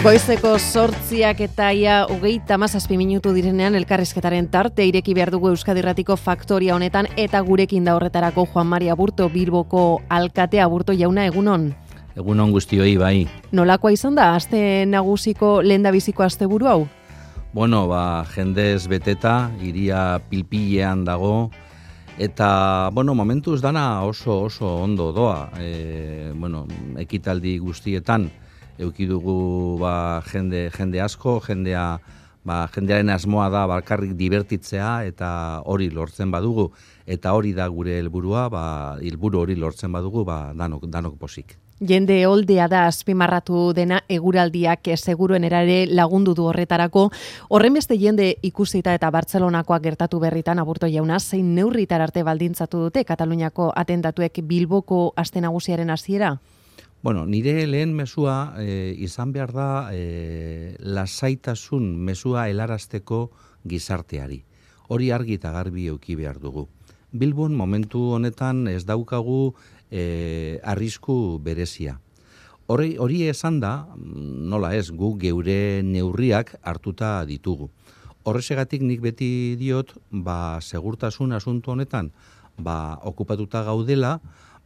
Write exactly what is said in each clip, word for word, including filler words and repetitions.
Goizeko sortziak eta ia hogeita hamazazpi minutu direnean elkarrizketaren tarte ireki behar dugu Euskadi Irratiko faktoria honetan eta gurekin da horretarako Juan Mari Aburto, Bilboko alkatea. Aburto jauna, egunon? Egunon guztioi, bai. Nolakoa izan da, aste nagusiko lehendabiziko asteburu hau? Bueno, ba, jendez beteta, iria pilpilean dago, eta, bueno, momentuz dana oso oso ondo doa. E, bueno, ekitaldi guztietan, eukidugu ba, jende, jende asko, jendea, ba, jendearen asmoa da bakarrik divertitzea eta hori lortzen badugu, eta hori da gure helburua, ba, helburu hori lortzen badugu, ba, danok, danok posik. Jende oldea da azpimarratu dena eguraldiak seguruen erare lagundu du horretarako. Horren beste jende ikusita eta Bartzelonakoak gertatu berritan, Aburto jauna, zein neurritar arte baldintzatu dute Kataluniako atentatuek Bilboko aste nagusiaren hasiera? Bueno, nire lehen mesua e, izan behar da e, lasaitasun mesua helarazteko gizarteari. Hori argi eta garbi eduki behar dugu. Bilbon momentu honetan ez daukagu e, arrisku berezia. Hori, hori esan da, nola ez, gu geure neurriak hartuta ditugu. Horrezegatik nik beti diot, ba, segurtasun asuntu honetan, ba, okupatuta gaudela,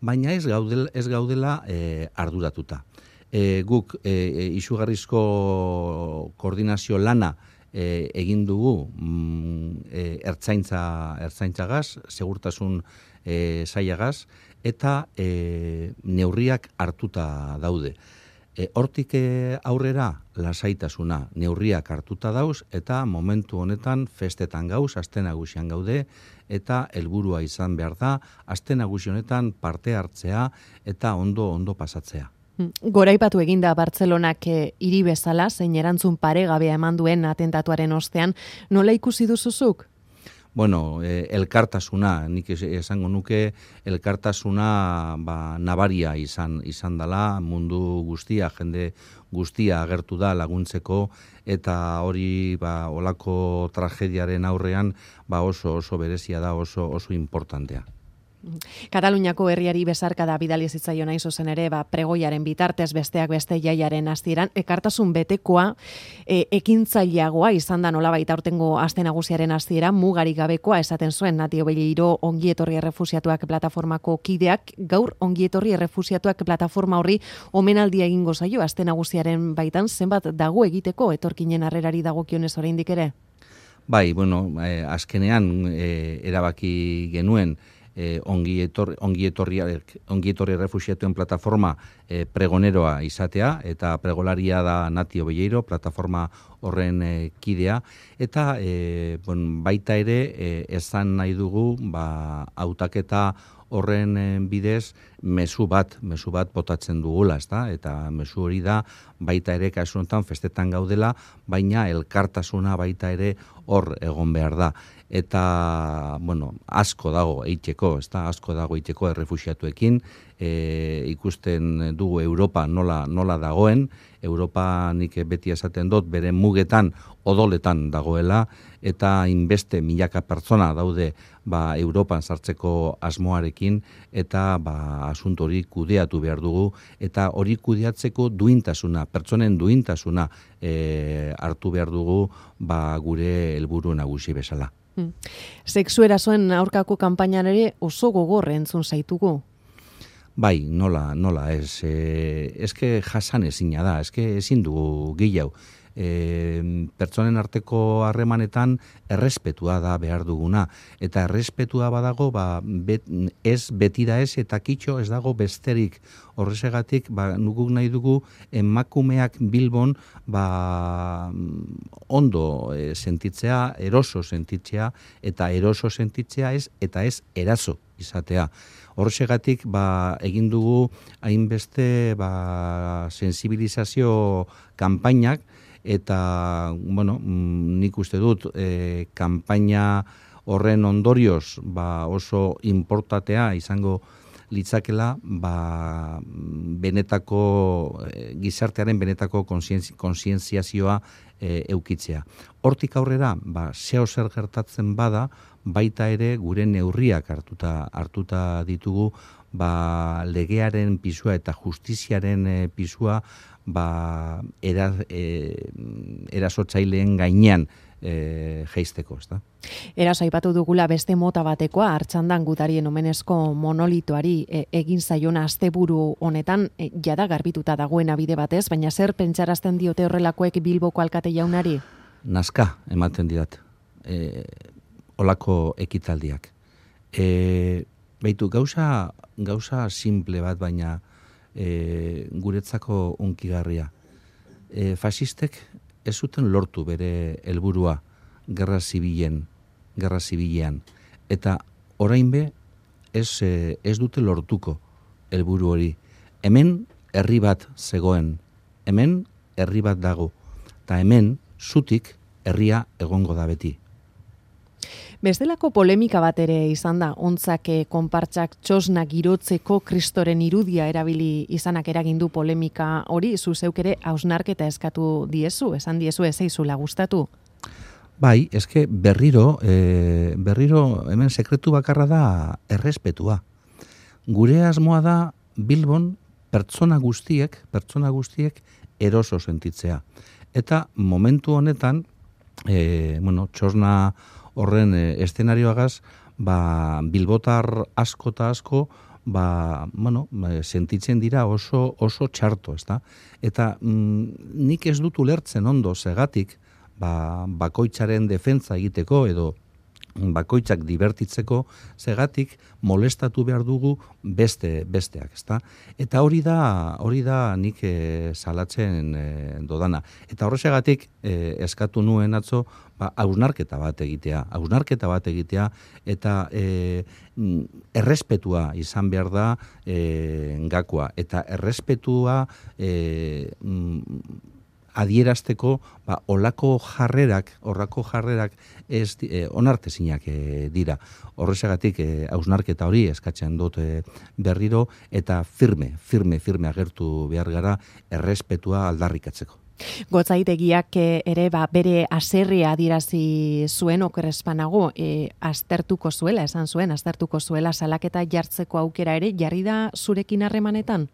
baina ez gaudela, ez gaudela e, arduratuta. E, guk e, izugarrizko koordinazio lana e, egin dugu mm, e, ertzaintza, ertzaintzagaz, segurtasun e, sailagaz, eta e, neurriak hartuta daude. E, hortik aurrera lasaitasuna, neurriak hartuta dauz, eta momentu honetan festetan gauz, aste nagusian gaude, eta helburua izan behar da, aste nagusi honetan parte hartzea eta ondo ondo pasatzea. Goraipatu eginda Bartzelonak e, hiri bezala, zein erantzun paregabea eman duen atentatuaren ostean, nola ikusi duzuzuk? Bueno, eh, elkartasuna, nik esango nuke elkartasuna ba, nabaria izan izan dela, mundu guztia, jende guztia agertu da laguntzeko, eta hori ba, olako tragediaren aurrean ba, oso oso berezia da, oso oso importantea. Kataluniako herriari besarkada bidali zitzaion hain zuzen ere, ba, pregoiaren bitartez besteak beste jaiaren hasieran, ekartasun betekoa, e, ekintzaileagoa izan da nolabait aurtengo aste nagusiaren hasiera, mugarik gabekoa esaten zuen Nati Obelleiro ongietorri errefusiatuak plataformako kideak, gaur ongietorri errefusiatuak plataforma horri omenaldia egingo zaio aste nagusiaren baitan, zenbat dago egiteko etorkinen harrerari dagokionez oraindik ere? Bai, bueno, eh, azkenean eh, erabaki genuen Eh, ongi etorri, ongi etorri, ongi etorri refusiatuen plataforma eh, pregoneroa izatea, eta pregolaria da Nati Obelleiro, plataforma horren eh, kidea, eta eh, bon, baita ere eh, esan nahi dugu ba, hautaketa horren eh, bidez mezu bat, mezu bat botatzen dugula, ezta? Eta mezu hori da baita ere kasu honetan festetan gaudela, baina elkartasuna baita ere hor egon behar da. Eta, bueno, asko dago eiteko, ezta? Asko dago eiteko errefuxiatuekin, e, ikusten dugu Europa nola, nola dagoen, Europa nik beti esaten dut bere mugetan odoletan dagoela, eta inbeste milaka pertsona daude ba, Europan sartzeko asmoarekin, eta ba, asunto hori kudeatu behar dugu, eta hori kudeatzeko duintasuna, pertsonen duintasuna e, hartu behar dugu ba, gure helburu nagusi bezala. Sexu erasoen aurkako kanpainan ere oso gogor entzun zaitugu. Bai, nola, nola, ez, e, eske jasan ezina da, eske ezin dugu gehiago. E, pertsonen arteko harremanetan errespetua da behar duguna, eta errespetua badago ba, bet, ez betira ez eta kitxo ez dago besterik. Horrezegatik ba, nukuk nahi dugu emakumeak Bilbon ba, ondo e, sentitzea, eroso sentitzea, eta eroso sentitzea ez, eta ez eraso izatea. Horrezegatik ba, egin dugu hainbeste ba, sensibilizazio kanpainak, eta, bueno, nik uste dut e, kanpaina horren ondorioz ba, oso importantea izango litzakela ba, benetako, e, gizartearen benetako kontzientziazioa e, eukitzea. Hortik aurrera, ba, zeo zer gertatzen bada, baita ere gure neurriak hartuta, hartuta ditugu, ba, legearen pisua eta justiziaren e, pisua ba, era, e, erasotzaileen gainean e, jeisteko, ez da? Eraso aipatu dugula beste mota batekoa, Artxandan gutarien omenezko monolitoari e, egin zaiona asteburu honetan, e, jada garbituta dagoena bide batez, baina zer pentsarazten diote horrelakoek Bilboko alkate jaunari? Nazka ematen didat, e, olako ekitaldiak. E, Beitu, gauza, gauza simple bat, baina e, guretzako unkigarria. E, fasistek ez zuten lortu bere helburua gerra zibilen, gerra zibilean. Eta orain be, ez, e, ez dute lortuko helburu hori. Hemen herri bat zegoen, hemen herri bat dago, eta hemen zutik herria egongo da beti. Bestelako polemika bat ere izan da, ontzak konpartsak txosna girotzeko kristoren irudia erabili izanak eragindu polemika hori, zu zeuk ere hausnarketa eskatu diezu, esan diezu ez zeizula gustatu? Bai, eske berriro, e, berriro hemen sekretu bakarra da errespetua. Gure asmoa da Bilbon pertsona guztiek, pertsona guztiek eroso sentitzea. Eta momentu honetan, e, bueno, txosna horren e, eszenarioagaz, ba, bilbotar asko eta asko, ba, bueno, sentitzen dira oso, oso txarto, ezta? Eta mm, nik ez dut ulertzen ondo segatik, ba, bakoitzaren defentza egiteko edo bakoitzak divertitzeko segatik molestatu behar dugu beste besteak, ezta? Eta hori da, hori da nik e, salatzen e, dodana. Eta horregatik e, eskatu nuen atzo, ba, hausnarketa bat egitea, hausnarketa bat egitea eta e, errespetua izan behar da e, gakoa. Eta errespetua e, adierazteko, ba, olako jarrerak, horrako jarrerak ez e, onartezinak e, dira. Horrezagatik e, hausnarketa hori eskatzen dut e, berriro eta firme, firme, firme agertu behar gara errespetua aldarrikatzeko. Gotzaitegiak ere ba, bere aserrea adirazi zuen okerrespanago, e, aztertuko zuela, esan zuen, aztertuko zuela salaketa jartzeko aukera ere, jarri da zurekin harremanetan?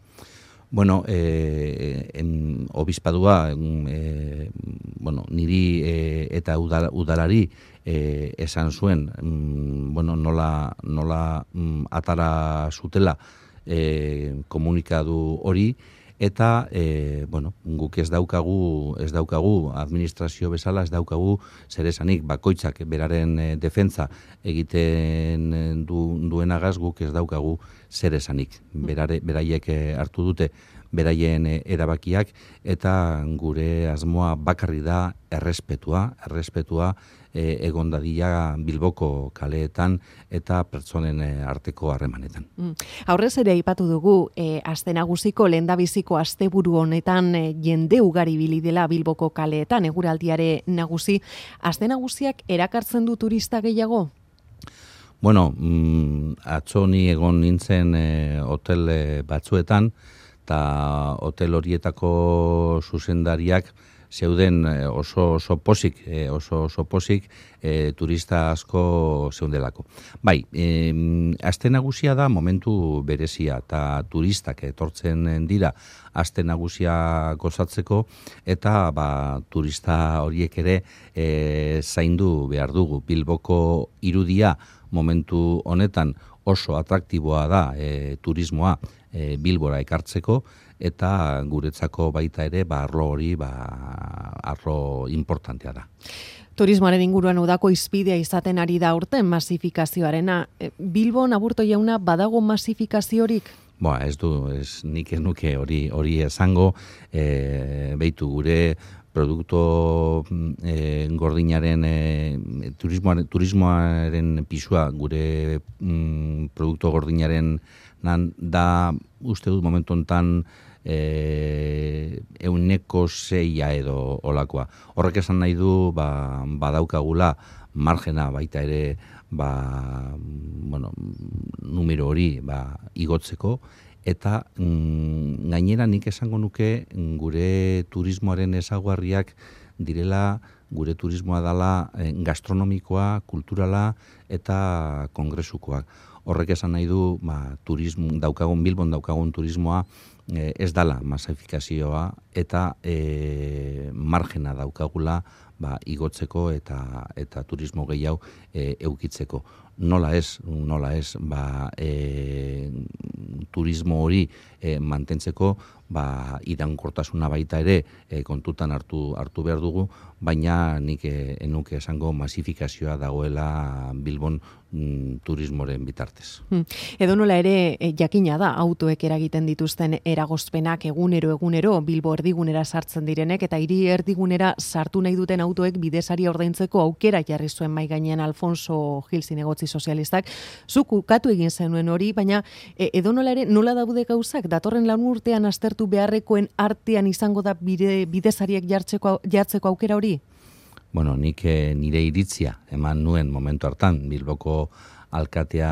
Bueno, eh, en, obispadua, eh, bueno, niri eh, eta udal, udalari eh, esan zuen, mm, bueno, nola, nola mm, atara zutela eh, komunikadu hori, eta eh, bueno, guk ez daukagu, ez daukagu administrazio bezala, ez daukagu zer esanik, bakoitzak beraren eh, defentza egiten du, duenagaz guk ez daukagu zer esanik. Berare, beraiek hartu dute beraien erabakiak eta gure asmoa bakarri da errespetua, errespetua e, egon dadila Bilboko kaleetan eta pertsonen arteko harremanetan. Mm. Aurrez ere aipatu dugu, e, aste nagusiko lehendabiziko asteburu honetan e, jende ugari bili dela Bilboko kaleetan, eguraldiare nagusi. Aste nagusiak erakartzen du turista gehiago? Bueno, mm, atzo ni egon nintzen e, hotel e, batzuetan, eta hotel horietako zuzendariak zeuden oso oso pozik, oso oso pozik e, turista asko zeundelako. Bai, e, aste nagusia da momentu berezia eta turistak etortzen dira aste nagusia gozatzeko eta ba, turista horiek ere e, zaindu behar dugu. Bilboko irudia momentu honetan oso atraktiboa da e, turismoa e, Bilbora ekartzeko eta guretzako baita ere ba, arlo hori ba, arlo importantea da. Turismoaren inguruan udako izpidea izaten ari da urten masifikazioarena. Bilbon Aburto jauna badago masifikaziorik? Boa, ez du, ez nik ez nuke hori hori esango, e, beitu gure produkto e, gordinaren, e, turismoaren, turismoaren pisua gure mm, produkto gordinaren nan, da uste dut momentu honetan e, euneko zeia edo olakoa. Horrek esan nahi du ba, badaukagula margena baita ere ba, bueno, numero hori ba, igotzeko, eta mm, gainera nik esango nuke gure turismoaren ezaugarriak direla gure turismoa dela gastronomikoa, kulturala eta kongresukoak. Horrek esan nahi du, ba, turismo, daukagun, Bilbon daukagun turismoa eh, ez dala masifikazioa eta eh, margena daukagula ba, igotzeko eta eta turismo gehiago e, eukitzeko. Nola ez, nola ez, ba, e, turismo hori e, mantentzeko, ba, iraunkortasuna baita ere e, kontutan hartu hartu behar dugu, baina nik e, enuke esango masifikazioa dagoela Bilbon mm, turismoren bitartez. Hmm. Edo nola ere e, jakina da autoek eragiten dituzten eragozpenak egunero egunero Bilbo erdigunera sartzen direnek eta hiri erdigunera sartu nahi duten autoek bidesari ordaintzeko aukera jarri zuen mai gainean Alfonso Gil zinegotzi sozialistak. Zuk ukatu egin zenuen hori, baina e, edo nola ere nola daude gauzak datorren lan urtean aztertu beharrekoen artean izango da bide, bidesariek jartzeko jartzeko aukera hori? Bueno, nik e, nire iritzia eman nuen momentu hartan Bilboko alkatea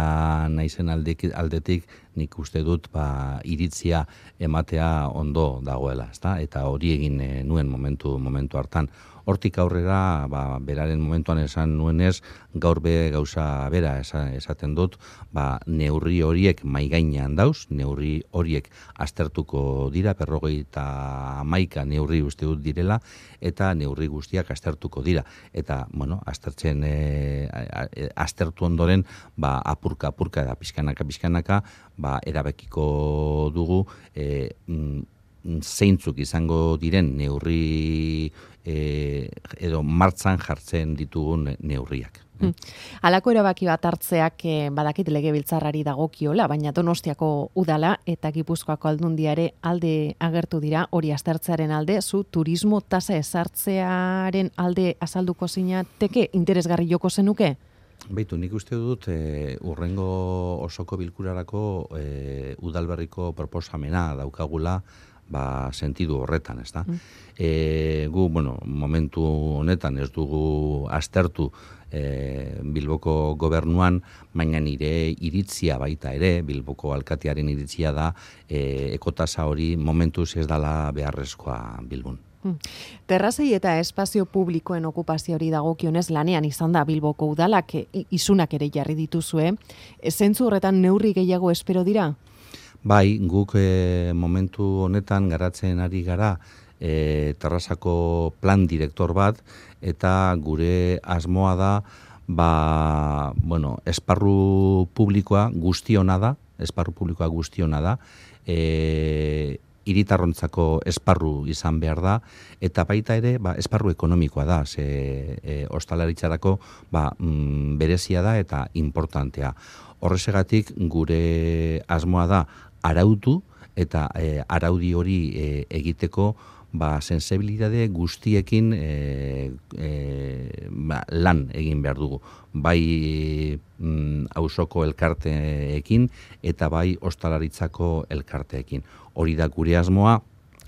naizen aldetik, aldetik nik uste dut ba, iritzia ematea ondo dagoela, ezta? Eta hori egin e, nuen momentu momentu hartan. Hortik aurrera, ba, beraren momentuan esan nuenez, gaur be gauza bera esaten dut, ba, neurri horiek maigainean dauz, neurri horiek aztertuko dira, berrogeita hamaika neurri uste dut direla, eta neurri guztiak aztertuko dira. Eta, bueno, aztertzen, e, aztertu ondoren, ba, apurka, apurka, da, pizkanaka, pizkanaka, ba, erabekiko dugu, e, zeintzuk izango diren neurri e, edo martzan jartzen ditugun neurriak. Hmm. Halako erabaki bat hartzeak eh, badakit legebiltzarrari dagokiola, baina Donostiako udala eta Gipuzkoako aldundiare alde agertu dira hori aztertzearen alde, zu turismo tasa ezartzearen alde azalduko zinateke interesgarri joko zenuke? Beitu, nik uste dut e, urrengo osoko bilkurarako e, udalberriko proposamena daukagula ba, sentidu horretan, ez da? Mm. E, gu, bueno, momentu honetan ez dugu aztertu e, Bilboko gobernuan, baina nire iritzia baita ere, Bilboko alkatearen iritzia da, e, ekotasa hori momentuz ez dala beharrezkoa Bilbon. Terrazei eta espazio publikoen okupazioari dagokionez lanean izan da Bilboko udalak isunak ere jarri dituzue. Zentzu horretan neurri gehiago espero dira? Bai, guk e, momentu honetan garatzen ari gara e, terrazako plan direktor bat eta gure asmoa da ba, bueno, esparru publikoa guztiona da, esparru publikoa guztiona da, e, hiritarrontzako esparru izan behar da, eta baita ere ba, esparru ekonomikoa da, ze e, ostalaritzarako ba, mm, berezia da eta importantea. Horrezegatik gure asmoa da arautu eta e, araudi hori e, egiteko ba, sensibilitate guztiekin e, e, ba, lan egin behar dugu. Bai mm, auzoko elkarteekin eta bai ostalaritzako elkarteekin. Hori da gure asmoa,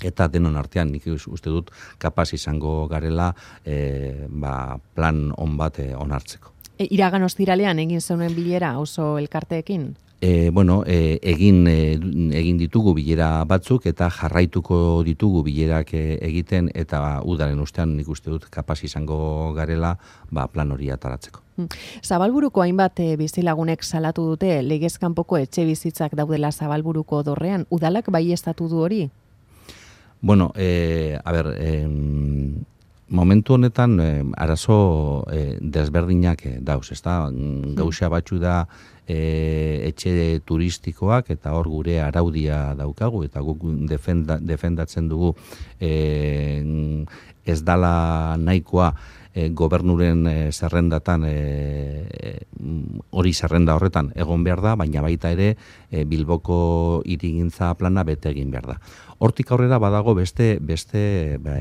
eta denon artean nik uste dut kapaz izango garela e, ba, plan on bat e, onartzeko. E, iragan ostiralean egin zeuden bilera auzo elkarteekin? E, bueno, e, egin, e, egin ditugu bilera batzuk eta jarraituko ditugu bilerak e, egiten eta udaren ustean nik uste dut kapaz izango garela ba, plan hori ataratzeko. Zabalburuko hainbat e, bizilagunek salatu dute legez kanpoko etxe bizitzak daudela Zabalburuko dorrean. Udalak baieztatu du hori? Bueno, e, a ber, e, momentu honetan e, arazo e, desberdinak e, dauz, ezta? Gauza batzu da e, etxe turistikoak eta hor gure araudia daukagu eta guk defenda, defendatzen dugu e, ez dala nahikoa e, gobernuren e, zerrendatan e, hori zerrenda horretan egon behar da, baina baita ere e, Bilboko hirigintza plana bete egin behar da. Hortik aurrera badago beste beste be,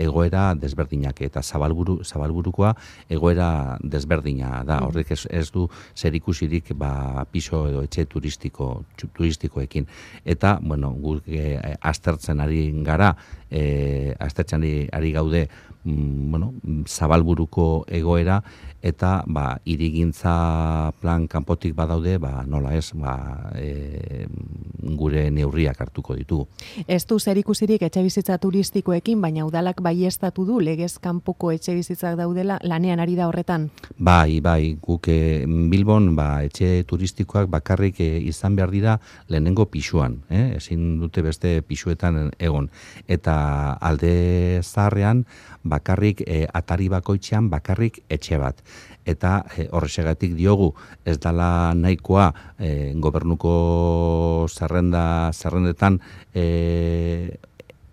egoera desberdinak eta Zabalburu, Zabalburukoa egoera desberdina da. Horrek ez, ez du zerikusirik ba, piso edo etxe turistiko, turistikoekin. Eta, bueno, guk e, aztertzen ari gara, e, aztertzen ari, ari gaude, mm, bueno, Zabalburuko Zabalburuko egoera, eta ba, hirigintza plan kanpotik badaude, ba, nola ez, ba, e, gure neurriak hartuko ditugu. Ez du zerikusirik etxebizitza turistikoekin, baina udalak baieztatu du legez kanpoko etxebizitzak daudela, lanean ari da horretan? Bai, bai, guk e, Bilbon ba, etxe turistikoak bakarrik e, izan behar dira lehenengo pisuan, eh? Ezin dute beste pisuetan egon. Eta alde zaharrean bakarrik e, atari bakoitzean bakarrik etxe bat. Eta e, horrexegatik diogu ez dala nahikoa e, gobernuko zerrenda zerrendetan e,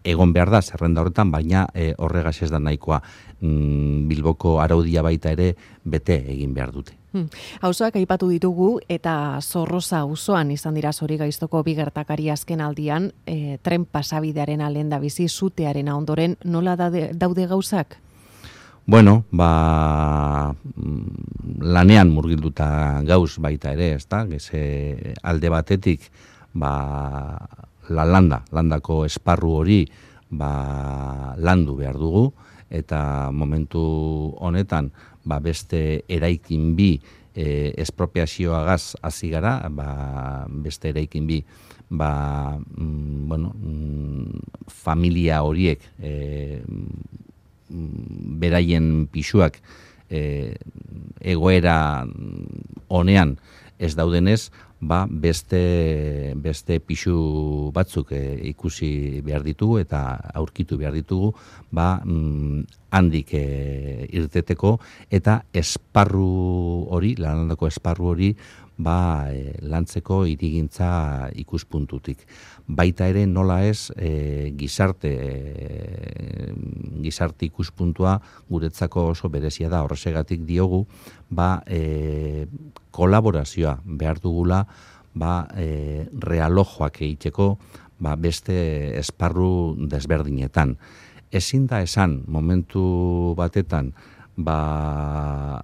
egon behar da zerrenda horretan, baina e, horregaz ez da nahikoa. Mm, Bilboko araudia baita ere bete egin behar dute. Hmm. Auzoak aipatu ditugu eta Zorroza auzoan izan dira Zorigaiztoko bi gertakari azken aldian, e, tren pasabidearen alenda bizi zutearen ondoren nola daude, daude gauzak? Bueno, ba, lanean murgilduta gauz baita ere, ezta? Geze alde batetik, ba, la landa, landako esparru hori, ba, landu behar dugu, eta momentu honetan, ba, beste eraikin bi e, espropiazioagaz hasi gara, ba, beste eraikin bi, ba, mm, bueno, mm, familia horiek, e, beraien pisuak e, egoera honean ez daudenez, ba beste beste pisu batzuk e, ikusi behar ditugu eta aurkitu behar ditugu, ba mm, handik e, irteteko eta esparru hori, landako esparru hori, ba e, lantzeko hirigintza ikuspuntutik. Baita ere nola ez e, gizarte e, gizarte ikuspuntua guretzako oso berezia da, horregatik diogu ba e, kolaborazioa behar dugula, ba e, realojoak egiteko ba, beste esparru desberdinetan. Ezin da esan momentu batetan ba,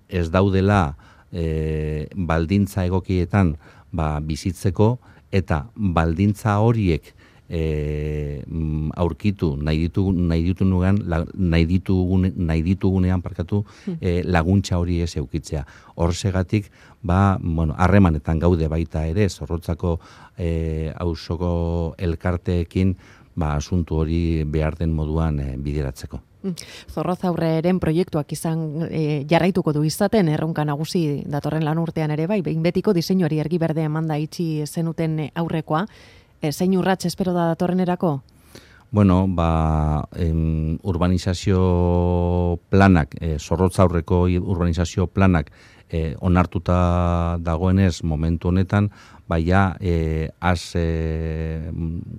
ez daudela e, baldintza egokietan ba, bizitzeko, eta baldintza horiek e, aurkitu nahi ditugu nahi ditugunean nahi ditugun nahi ditugunean parkatu e, laguntza hori ez eukitzea. Horregatik ba bueno, harremanetan gaude baita ere Zorrotzako e, auzoko elkarteekin ba asuntu hori behar den moduan e, bideratzeko. Zorrozaurreren proiektuak izan e, jarraituko du izaten erronka nagusi datorren lan urtean ere bai, behin betiko diseinuari ergi berde emanda itxi zenuten aurrekoa, e, zein urrats espero da datorrenerako? Bueno, ba, em, urbanizazio planak, e, Zorrotzaurreko urbanizazio planak e, onartuta dagoenez momentu honetan, baina e, az e,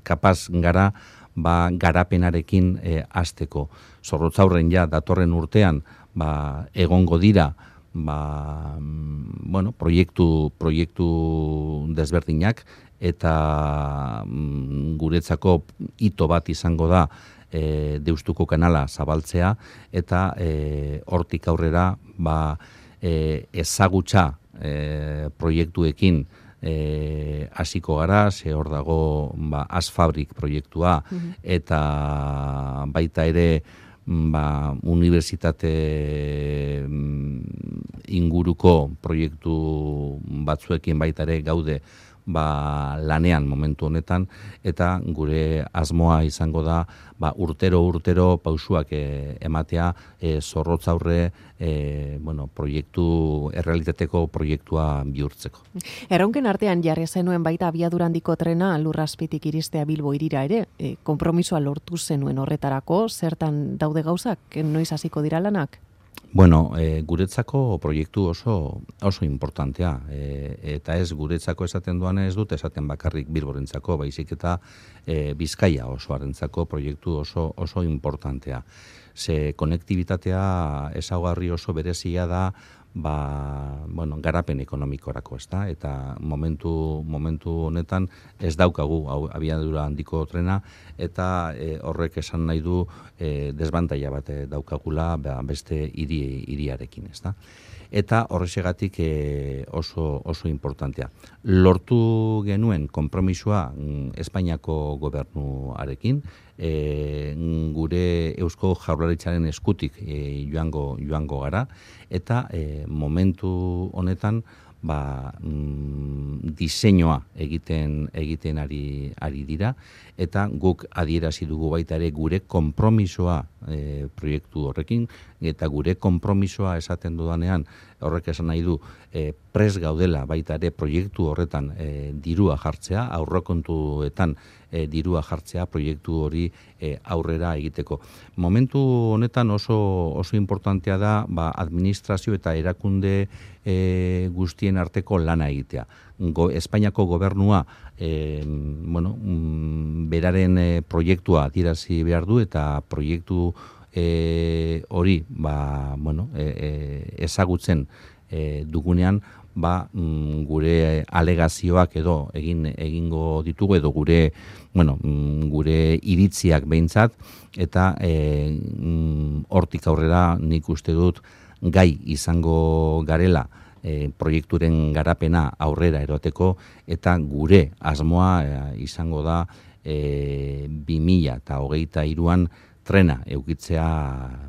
kapaz gara ba, garapenarekin e, hasteko. Zorrotzaurren ja datorren urtean ba, egongo dira ba, bueno, proiektu, proiektu desberdinak eta mm, guretzako hito bat izango da e, Deustuko kanala zabaltzea eta e, hortik aurrera ba, e, ezagutza e, proiektuekin E, hasiko gara, ze hor dago ba, Asfabrik proiektua, mm-hmm. eta baita ere ba, unibertsitate inguruko proiektu batzuekin baita ere gaude ba, lanean momentu honetan, eta gure asmoa izango da ba, urtero urtero pausuak e, ematea e, Zorrotzaurre e, bueno, proiektu, errealitateko proiektua bihurtzeko. Erronken artean jarri zenuen baita abiadura handiko trena Lurrazpitik iristea Bilbo hirira ere, e, konpromisoa lortu zenuen horretarako, zertan daude gauzak, noiz hasiko dira lanak? Bueno, e, guretzako proiektu oso oso importantea, e, eta ez guretzako esaten duan ez dut, esaten bakarrik Bilborentzako, baizik eta e, Bizkaia osoarentzako proiektu oso oso importantea. Ze konektibitatea ezaugarri oso berezia da, ba, bueno, garapen ekonomikorako, ezta? Eta momentu momentu honetan ez daukagu hau abiadura handiko trena, eta e, horrek esan nahi du e, desbantaila bat daukagula ba, beste hiri hiriarekin, ezta? eta horrexegatik e, oso, oso importantea. Lortu genuen konpromisoa mm, Espainiako gobernuarekin, e, gure Eusko Jaurlaritzaren eskutik e, joango, joango gara, eta e, momentu honetan ba, mm, diseinua egiten egiten ari ari dira, eta guk adierazi dugu baita ere gure konpromisoa e, proiektu horrekin, eta gure konpromisoa esaten dudanean horrek esan nahi du e, pres gaudela baita ere proiektu horretan e, dirua jartzea, aurrekontuetan e, dirua jartzea proiektu hori e, aurrera egiteko. Momentu honetan oso oso importantea da ba, administrazio eta erakunde e, guztien arteko lana egitea. Go, Espainiako gobernua e, bueno, mm, beraren e, proiektua adierazi behar du, eta proiektu e, hori ba, bueno, e, e, ezagutzen e, dugunean ba, mm, gure alegazioak edo egin egingo ditugu, edo gure bueno, mm, gure iritziak behintzat, eta e, mm, hortik aurrera nik uste dut gai izango garela E, proiekturen garapena aurrera eroteko, eta gure asmoa e, izango da e, bi mila hogeita hiruan trena eukitzea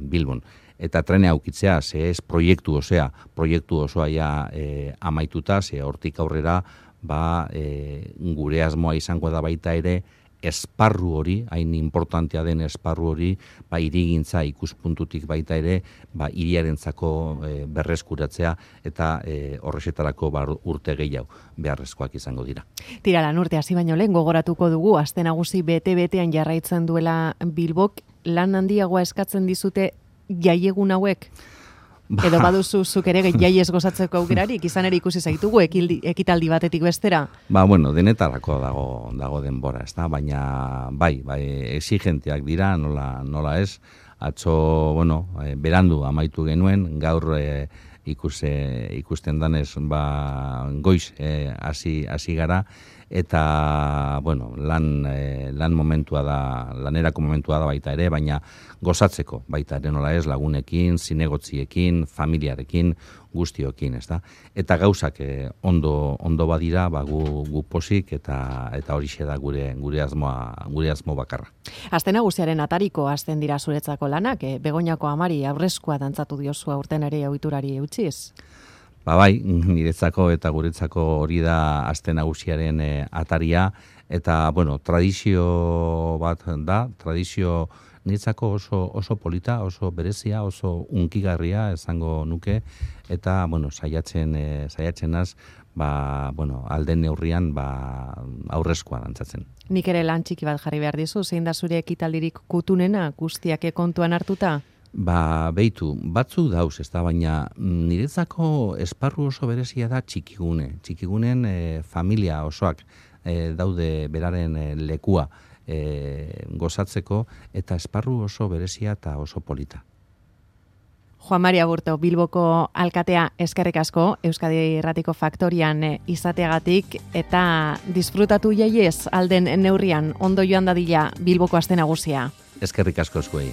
Bilbon. Eta trena eukitzea, ze ez proiektu osea, proiektu osoa ja e, amaituta, ze hortik aurrera ba, e, gure asmoa izango da baita ere esparru hori, hain importantea den esparru hori, ba, hirigintza ikuspuntutik baita ere, ba, hiriarentzako e, berreskuratzea, eta e, horrexetarako ba, urte gehiago beharrezkoak izango dira. Tira, lan urte hasi baino lehen gogoratuko dugu, aste nagusi bete-betean jarraitzen duela Bilbok, lan handiagoa eskatzen dizute jaiegun hauek? Ba. Edo baduzu zuk ere jaiez gozatzeko aukerarik, izan ere ikusi zaitugu ekildi, ekitaldi batetik bestera? Ba, bueno, denetarako dago dago denbora, ezta? Baina bai, bai, exigenteak dira, nola, nola ez, atzo, bueno, e, berandu amaitu genuen, gaur e, ikuse, ikusten danez, ba, goiz hasi e, hasi gara, eta, bueno, lan, e, lan momentua da, lanerako momentua da baita ere, baina gozatzeko baita ere nola ez, lagunekin, zinegotziekin, familiarekin, guztiokin, ez da? Eta gauzak e, ondo, ondo badira, ba, gu, gu posik, eta eta horixe da gure gure asmoa, gure asmo bakarra. Aste nagusiaren atariko hasten dira zuretzako lanak, e, Begoñako amari aurrezkoa dantzatu diozu aurten ere ohiturari eutziz? Ba bai, niretzako eta guretzako hori da aste nagusiaren e, ataria, eta, bueno, tradizio bat da, tradizio niretzako oso, oso polita, oso berezia, oso unkigarria esango nuke, eta, bueno, saiatzen, e, saiatzen az, ba, bueno, alden neurrian, ba, aurrezkoa dantzatzen. Nik ere lan txiki bat jarri behar dizu, zein da zure ekitaldirik kutunena, guztiak kontuan hartuta? Ba, beitu, batzuk dauz, ez da, baina niretzako esparru oso berezia da txikigune. Txikigunen e, familia osoak e, daude beraren e, lekua e, gozatzeko, eta esparru oso berezia eta oso polita. Juan Mari Aburto, Bilboko alkatea, eskerrik asko, Euskadi Irratiko Faktorian izateagatik, eta disfrutatu jaiez alden neurrian, ondo joan dadila Bilboko aste nagusia. Eskerrik asko zuei.